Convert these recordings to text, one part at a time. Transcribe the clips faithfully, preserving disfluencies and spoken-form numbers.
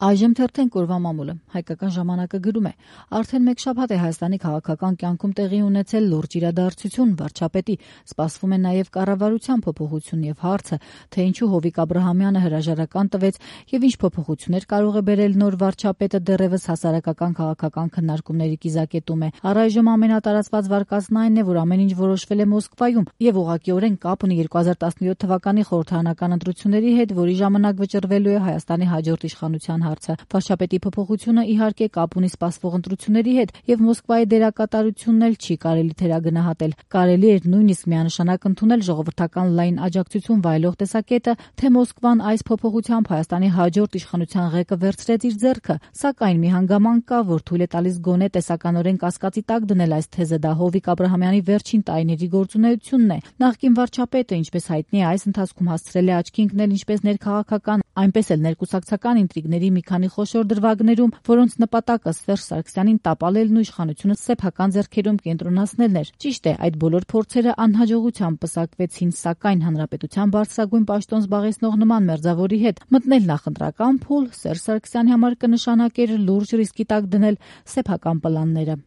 Այժմ թերթենք օրվա մամուլը։ Հայկական ժամանակը գրում է. արդեն մեկ շաբաթ է Հայաստանի քաղաքական կյանքում տեղի ունեցել լուրջ իրադարձություն, վարչապետի, սպասվում է նաև կառավարության փոփոխություն եւ հարցը, թե ինչու Հովիկ Աբրահամյանը հրաժարական տվեց եւ ինչ փոփոխություններ կարող է բերել նոր վարչապետը դեռևս հասարակական քաղաքական քննարկումների կիզակետում է։ Առայժմ ամենատարածված վարկածն այն է, որ ամեն ինչ որոշվել է Մոսկվայում եւ ուղղակիորեն կապ ունի երկու հազար տասնյոթ թվականի խորհրդարանական ընտրությունների հետ, որի ժամանակ վճռվելու է Հայաստանի հաջորդ իշխանության հարցը։ Վարչապետի փոփոխությունը իհարկե կապ ունի սպասվող ընտրությունների հետ եւ Մոսկվայի դերակատարությունն էլ չի կարելի թերագնահատել։ Կարելի էր նույնիսկ միանշանակ ընդունել ժողովրդական լայն աջակցություն վայելող տեսակետը, թե Մոսկվան այս փոփոխությամբ Հայաստանի հաջորդ իշխանության ղեկը վերցրեց իր ձեռքը, սակայն մի հանգամանք կա, որ թույլ է տալիս գոնե տեսականորեն կասկածի տակ դնել այս թեզը, դա Հովիկ Աբրահամյանի վերջին տարիների գործունեությունն է։ Նախկին վարչապետը, ինչպես հայտնի է, այս ընթացքում հասցրել է աչքի ընկնել ինչպես ներքաղաքական, այնպես էլ ներկուսակցական ինտրիգների մի քանի խոշոր դրվագներում, որոնց նպատակը Սերժ Սարգսյանին տապալելն ու իշխանությունը սեփական ձեռքերում կենտրոնացնելն էր։ Ճիշտ է, այդ բոլոր փորձերը անհաջողությամբ պսակվեցին, սակայն հանրապետության բարձրագույն պաշտոն զբաղեցնող նման մերձավորի հետ մտնել նախընտրական փուլ Սերժ Սարգսյանի համար կնշանակեր լուրջ ռիսկի տակ դնել սեփական պլանները։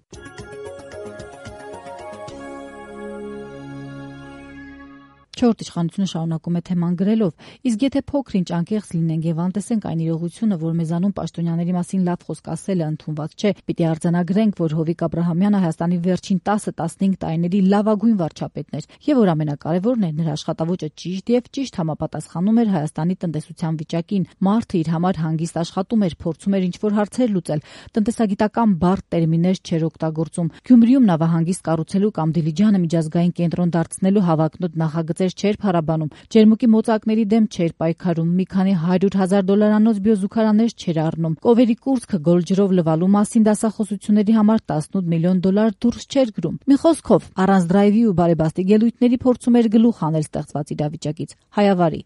Չորրորդ իշխանությունը շարունակում է թեման գրելով. իսկ եթե փոքր-ինչ անկեղծ լինենք եւ անտեսենք այն իրողությունը, որ մեզանում պաշտոնյաների մասին լավ խոսք ասելը ընդունված չէ, պիտի արձանագրենք, որ Հովիկ Աբրահամյանը Հայաստանի վերջին տասը տասնհինգ տարիների լավագույն վարչապետն էր եւ որ ամենակարևորն է, նրա աշխատավոճը ճիշտ եւ ճիշտ համապատասխանում էր Հայաստանի տնտեսության վիճակին։ Մարդը իր համար հանգիստ աշխատում էր, փորձում էր ինչ-որ հարցեր լուծել, տնտեսագիտական բարդ տերմիններ չէր օգտագործում։ Գյումրիում նավահանգիստ կառուցելու կամ Դիլիջանը միջազգային կենտրոն դարձնելու հավակնոտ նախագծեր չէր փառաբանում, ջերմուկի մոծակների դեմ չէր պայքարում, մի քանի հարյուր հազար դոլարանոց բիոզուգարաններ չէր առնում, կովերի կուրծքը գոլջրով լվալու մասին դասախոսությունների համար տասնութ միլիոն դոլար դուրս չէր գրում։ Մի խոսքով, առանց դրայվի ու բարեբաստիկ ելույթների փորձում էր գլուխ հանել ստեղծված իրավիճակից։ Հայավարի։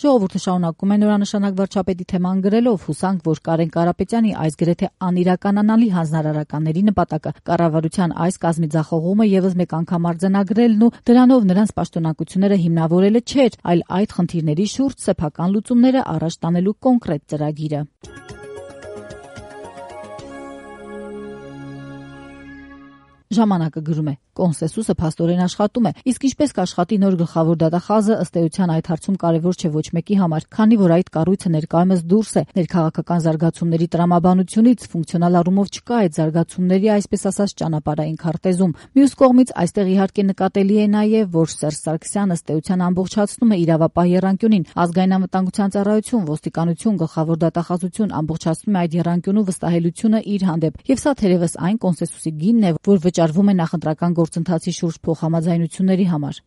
Ժողովուրդը շարունակում է նորանշանակ վարչապետի թեման գրելով. հուսանք, որ Կարեն Կարապետյանի այս գրեթե անիրականանալի հանձնարարականների նպատակը կառավարության այս կազմի ձախողումը եւս մեկ անգամ արձանագրելն ու դրանով նրանց պաշտոնակությունները հիմնավորելը չէր, այլ այդ խնդիրների շուրջ սեփական լուծումները առաջ տանելու կոնկրետ ծրագիրը։ Ժամանակը գրում է. կոնսենսուսը փաստորեն աշխատում է, իսկ ինչպես կաշխատի նոր գլխավոր դատախազը, ըստ էության այդ հարցում կարևոր չէ ոչ մեկի համար, քանի որ այդ կառույցը ներկայումս դուրս է ներքաղաքական զարգացումների տրամաբանությունից, ֆունկցիոնալ առումով չկա այդ զարգացումների, այսպես ասած, ճանապարհային քարտեզում։ Մյուս կողմից այստեղ իհարկե նկատելի է նաև, որ Սերժ Սարգսյանը ըստ էության ամբողջացնում է իրավապահ եռանկյունին, ազգային անվտանգության ծառայություն, ոստիկանություն, գլխավոր դատախազություն ամբողջացնում է այդ եռանկյունու վստահելիությունը իր հանդեպ, եւ սա թերևս այն կոնսենսուսի գինն է, որ վճարվում է նախընտրական գործընթացի շուրջ փոխհամաձայնությունների համար։